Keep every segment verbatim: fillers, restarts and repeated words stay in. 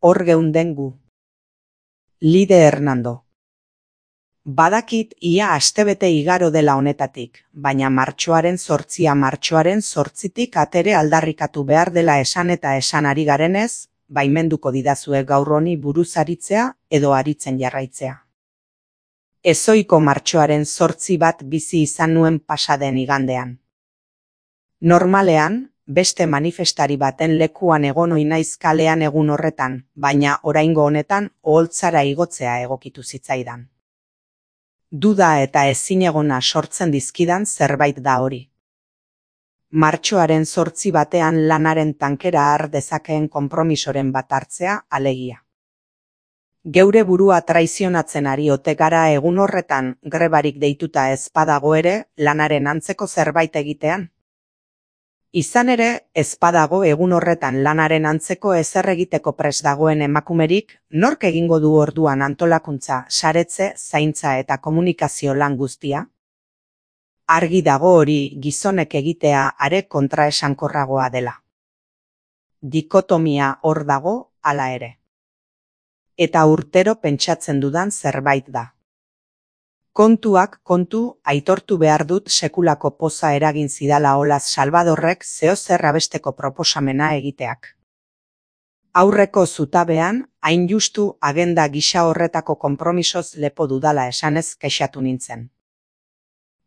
Hor geunden gu. Lide Hernando. Badakit ia astebete igaro dela honetatik, baina martxoaren zortzia martxoaren zortzitik atere aldarrikatu behar dela esan eta esan ari garenez, baimenduko didazue gaur honi buruz aritzea edo aritzen jarraitzea. Ezoiko martxoaren zortzi bat bizi izan nuen pasaden igandean. Normalean, beste manifestari baten lekuan egon ohi naiz kalean egun horretan, baina oraingo honetan oholtzara igotzea egokitu zitzaidan. Duda eta ezinegona sortzen dizkidan zerbait da hori. Martxoaren zortzi batean lanaren tankera har dezakeen konpromisoren bat hartzea alegia. Geure burua traizionatzen ari ote gara egun horretan grebarik deituta ez badago ere lanaren antzeko zerbait egitean. Izan ere, ez badago egun horretan lanaren antzeko ezer egiteko prest dagoen emakumerik, nork egingo du orduan antolakuntza, saretze, zaintza eta komunikazio lan guztia? Argi dago hori gizonek egitea are kontraesankorragoa dela. Dikotomia hor dago, hala ere. Eta urtero pentsatzen dudan zerbait da. Kontuak kontu, aitortu behar dut sekulako poza eragin zidala Olaz Salvadorrek zeozer abesteko proposamena egiteak. Aurreko zutabean, hain justu agenda gisa horretako konpromisoz lepo dudala esanez kexatu nintzen.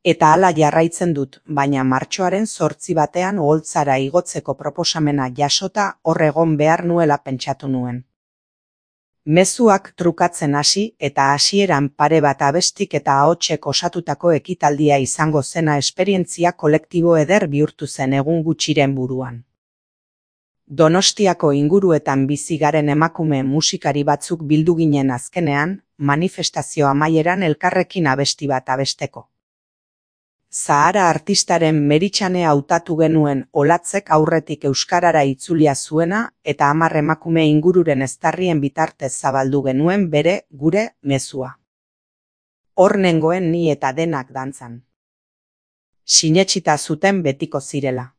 Eta hala jarraitzen dut, baina martxoaren zortzi batean oholtzara igotzeko proposamena jasota hor egon behar nuela pentsatu nuen. Mezuak trukatzen hasi eta hasieran pare bat abestik eta ahotsek osatutako ekitaldia izango zena esperientzia kolektibo eder bihurtu zen egun gutxiren buruan. Donostiako inguruetan bizi garen emakume musikari batzuk bildu ginen azkenean, manifestazio amaieran elkarrekin abesti bat abesteko. Zahara artistaren Meritxane hautatu genuen Olatzek aurretik euskarara itzulia zuena eta hamar emakume ingururen eztarrien bitartez zabaldu genuen bere, gure, mezua. Hor nengoen ni eta denak dantzan. Sinetsita zuten betiko zirela.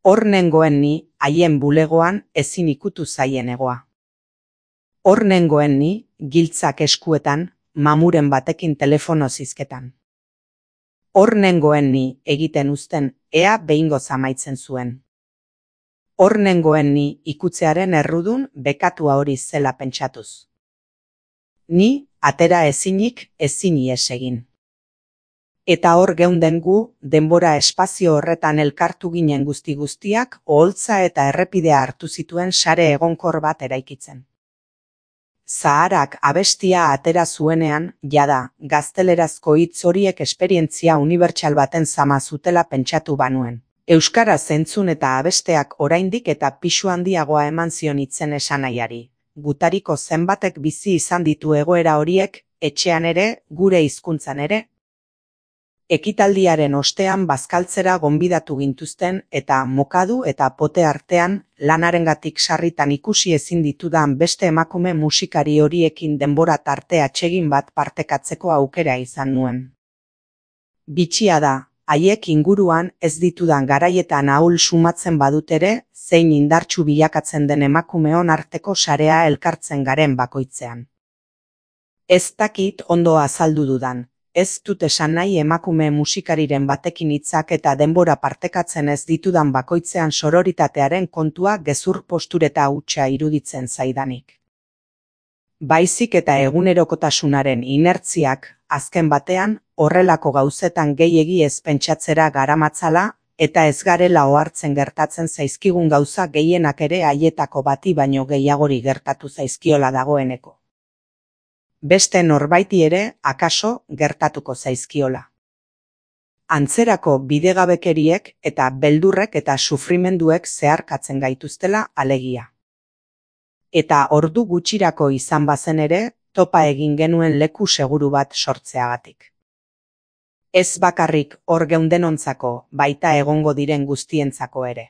Hor nengoen ni, haien bulegoan ezin ikutu zaien egoa. Hor nengoen ni, giltzak eskuetan, mamuren batekin telefono zizketan. Hor nengoen ni egiten uzten, ea behingoz amaitzen zuen. Hor nengoen ni ikutzearen errudun bekatua hori zela pentsatuz. Ni, atera ezinik, ezin ihes egin. Eta hor geunden gu, denbora espazio horretan elkartu ginen guzti guztiak, oholtza eta errepidea hartu zituen sare egonkor bat eraikitzen. Zaharak abestia atera zuenean, jada, gaztelerazko hitz horiek esperientzia unibertsal baten zama zutela pentsatu banuen. Euskaraz entzun eta abesteak oraindik eta pisu handiagoa eman zion hitzen esanaiari. Gutariko zenbatek bizi izan ditu egoera horiek, etxean ere, gure hizkuntzan ere. Ekitaldiaren ostean bazkaltzera gonbidatu gintuzten eta mokadu eta pote artean lanarengatik sarritan ikusi ezin ditudan beste emakume musikari horiekin denbora tarte atsegin bat partekatzeko aukera izan nuen. Bitxia da, haiek inguruan ez ditudan garaietan ahul sumatzen badut ere, zein indartsu bilakatzen den emakumeon arteko sarea elkartzen garen bakoitzean. Ez dakit ondo azaldu dudan. Ez dut esan nahi emakume musikariren batekin hitzak eta denbora partekatzen ez ditudan bakoitzean sororitatearen kontua gezur postureta hutsa iruditzen zaidanik. Baizik eta egunerokotasunaren inertziak, azken batean, horrelako gauzetan gehiegi ez pentsatzera garamatzala, eta ez garela ohartzen gertatzen zaizkigun gauza gehienak ere haietako bati baino gehiagori gertatu zaizkiola dagoeneko. Beste norbaiti ere, akaso, gertatuko zaizkiola. Antzerako bidegabekeriek eta beldurrek eta sufrimenduek zeharkatzen gaituztela alegia. Eta ordu gutxirako izan bazen ere, topa egin genuen leku seguru bat sortzeagatik. Ez bakarrik hor geundenontzako, baita egongo diren guztientzako ere.